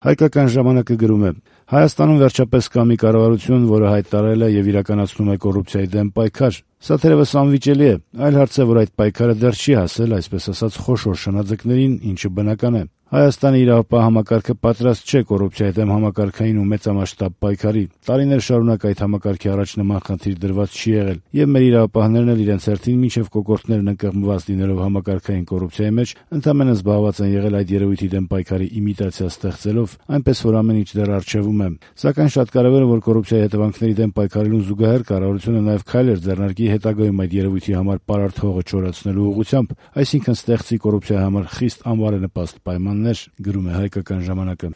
Հայկական ժամանակը գրում է. Հայաստանում վերջապես կա մի կառավարություն, որը հայտարարել է եւ իրականացնում է կոռուպցիայի դեմ պայքար։ Սա թերևս անվիճելի է, այլ հարց է, որ այդ պայքարը դեռ չի հասել, այսպես ասած, խոշոր շնաձկներին, ինչը բնական է։ Հայաստանի իրավապահ համակարգը պատրաստ չէ կոռուպցիայի դեմ համակարգային ու մեծամասշտաբ պայքարի։ Տարիներ շարունակ այդ համակարգի առաջ նման խնդիր դրված չի եղել, եւ մեր իրավապահներն էլ իրենց հերթին մինչեւ կոկորդներն ընկղմված լինելով համակարգային կոռուպցիայի մեջ, ընդամենը զբաղված են եղել այդ երևույթի դեմ պայքարի իմիտացիա ստեղծելով, այնպես որ ամեն ինչ դեռ առջևում է։ Սակայն շատ կարևոր է, որ կոռուպցիայի հետևանքների դեմ պայքարելուն զուգահեռ կառավարությունը նաեւ քայլեր ձեռնարկի հետագայում այդ երևույթի համար պարարտ հողը չորացնելու ուղղությամբ, այսինքն ստեղծի կոռուպցիայի համար խիստ անբարենպաստ պայմաններ, գրում է Հայկական ժամանակը։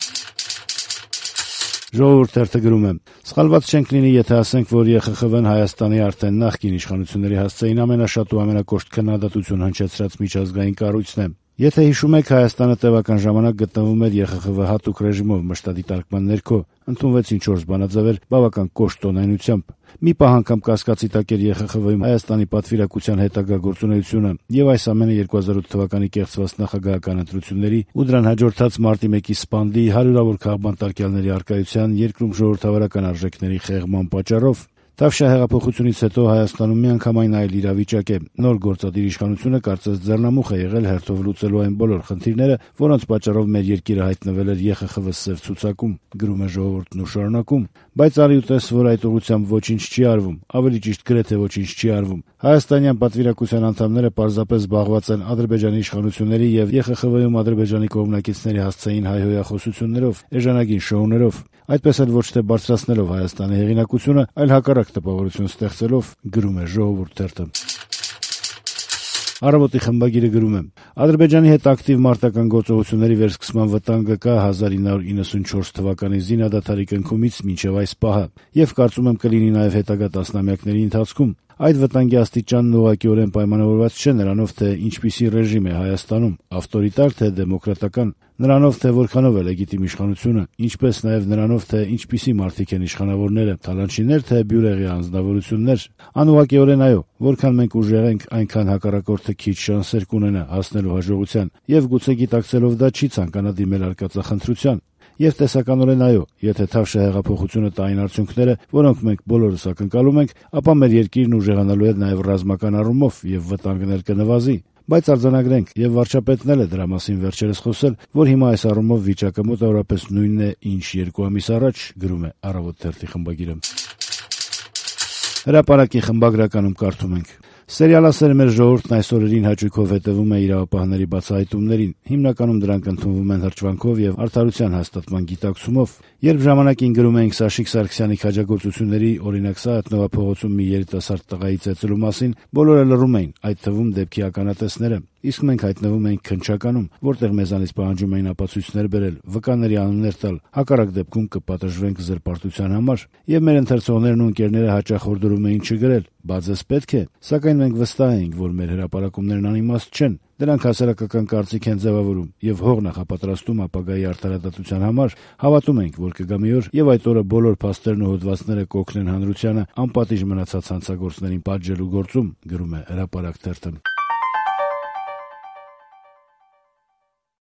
Ժողովուրդ թերթը գրում է. Սխալված չենք լինի, եթե ասենք, որ ԵԽԽՎ-ն Հայաստանի արդեն նախկին իշխանությունների հասցեին ամենաշատ ու ամենակոշտ քննադատություն հնչեցրած միջազգային կառույցն է։ Եթե հիշում եք, Հայաստանը տևական ժամանակ գտնվում էր ԵԽԽՎ հատուկ ռեժիմով մշտադիտարկման ներքո, ընդունվեցին 4 բանաձևեր բավական կոշտ տոնայնությամբ։ Մի պահ անգամ կասկածի տակ էր ԵԽԽՎ-ի Հայաստանի պատվիրակության հետագա գործունեությունը, եւ այս ամենը 2008 թվականի կեղծված նախագահական ընտրությունների ու դրան հաջորդած մարտի 1-ի սպանդի հարյուրավոր քաղբան տարկյալների առկայության երկրում ժողովրդավարական արժեքների խեղման պատճառով։ Թավշյա հեղափոխությունից հետո Հայաստանում միանգամայն այլ իրավիճակ է։ Նոր գործադիր իշխանությունը կարծես ձեռնամուխ է եղել հերթով լուծելու այն բոլոր խնդիրները, որոնց պատճառով մեր երկիրը հայտնվել էր ԵԽԽՎ սև ցուցակում, գրում է Ժողովուրդն ու շարունակում։ Բայց արի ու տես, որ այդ ուղղությամբ ոչինչ չի արվում, ավելի ճիշտ գրեթե ոչինչ չի արվում։ Հայաստանյան պատվիրակության անդամները պարզապես զբաղված են Ադրբեջանի իշխանությունների եւ ԵԽԽՎ-ում Ադրբեջանի կողմնակիցների հասցեին հայհոյախոսություններով, էժանագին շոուներով, այդպես էլ ոչ թե բարձրացնելով Հայաստանի հեղինակությունը, այլ հակառակ տպավորություն ստեղծելով, գրում է Ժողովուրդ թերթը։ Առավոտի խմբագիրը գրում է. Ադրբեջանի հետ ակտիվ մարտական գործողությունների վերսկսման վտանգը կա 1994 թվականի զինադադարի կնքումից մինչև այս պահը, եւ կարծում եմ կլինի նաեւ հետագա տասնամյակների ընթացքում։ Այդ վտանգի աստիճանն ուղղակիորեն պայմանավորված չէ նրանով, թե ինչպիսի ռեժիմ է Հայաստանում, ավտորիտար թե դեմոկրատական, նրանով, թե որքանով է լեգիտիմ իշխանությունը, ինչպես նաև նրանով, թե ինչպիսի մարդիկ են իշխանավորները, թալանչիներ թե բյուրեղի անձնավորություններ։ Անուղղակիորեն այո, որքան մենք ուժեղ ենք, այնքան հակառակորդը քիչ շանսեր կունենա հասնելու հաջողության, եւ գուցե գիտակցելով դա չի ցանկանա դիմել արկածախնդրության։ Եվ տեսականորեն այո, եթե Թավշյա հեղափոխությունը տա այն արդյունքները, որոնք մենք բոլորս ակնկալում ենք, ապա մեր երկիրն ուժեղանալու է նաև ռազմական առումով եւ վտանգն էլ կնվազի։ Բայց արձանագրենք, եւ վարչապետն էլ է դրա մասին վերջերս խոսել, որ հիմա այս առումով վիճակը մոտավորապես նույնն է, ինչ 2 ամիս առաջ, գրում է Առավոտ թերթի խմբագիրը։ Հրապարակի խմբագրականում կարդում ենք. Սերիալասեր մեր ժողովուրդն այս օրերին հաճույքով հետևում է իրավապահների բացահայտումներին, հիմնականում դրանք ընդունվում են հրճվանքով եւ արդարության հաստատման գիտակցումով։ Երբ ժամանակին գրում էինք Սաշիկ Սարգսյանի քաջագործությունների, օրինակ Սայաթ-Նովա փողոցում մի երիտասարդ տղայի ծեծելու մասին, բոլորը լռում էին, այդ թվում դեպքի ականատեսները։ Իսկ մենք հայտնվում էինք քննչականում, որտեղ մեզանից պահանջում էին ապացույցներ բերել, վկաների անուններ տալ, հակառակ դեպքում կպատժվենք զրպարտության համար, եւ մեր ընթերցողներն ու ընկերները հաճախ հորդորում էին չգրել, բա ձեզ պետք է, սակայն մենք վստահ էինք, որ մեր հրապարակումներն անիմաստ չեն, դրանք հասարակական կարծիք են ձևավորում եւ հող նախապատրաստում ապագայի արդարադատության համար, հավատում ենք, որ կգա մի օր եւ այդ օրը բոլոր փաստերն ու հոդվածները կօգնեն հանրությանը անպատիժ մնացած հանցագործներին պատժելու գործում, գրում է Հրապարակ թերթը։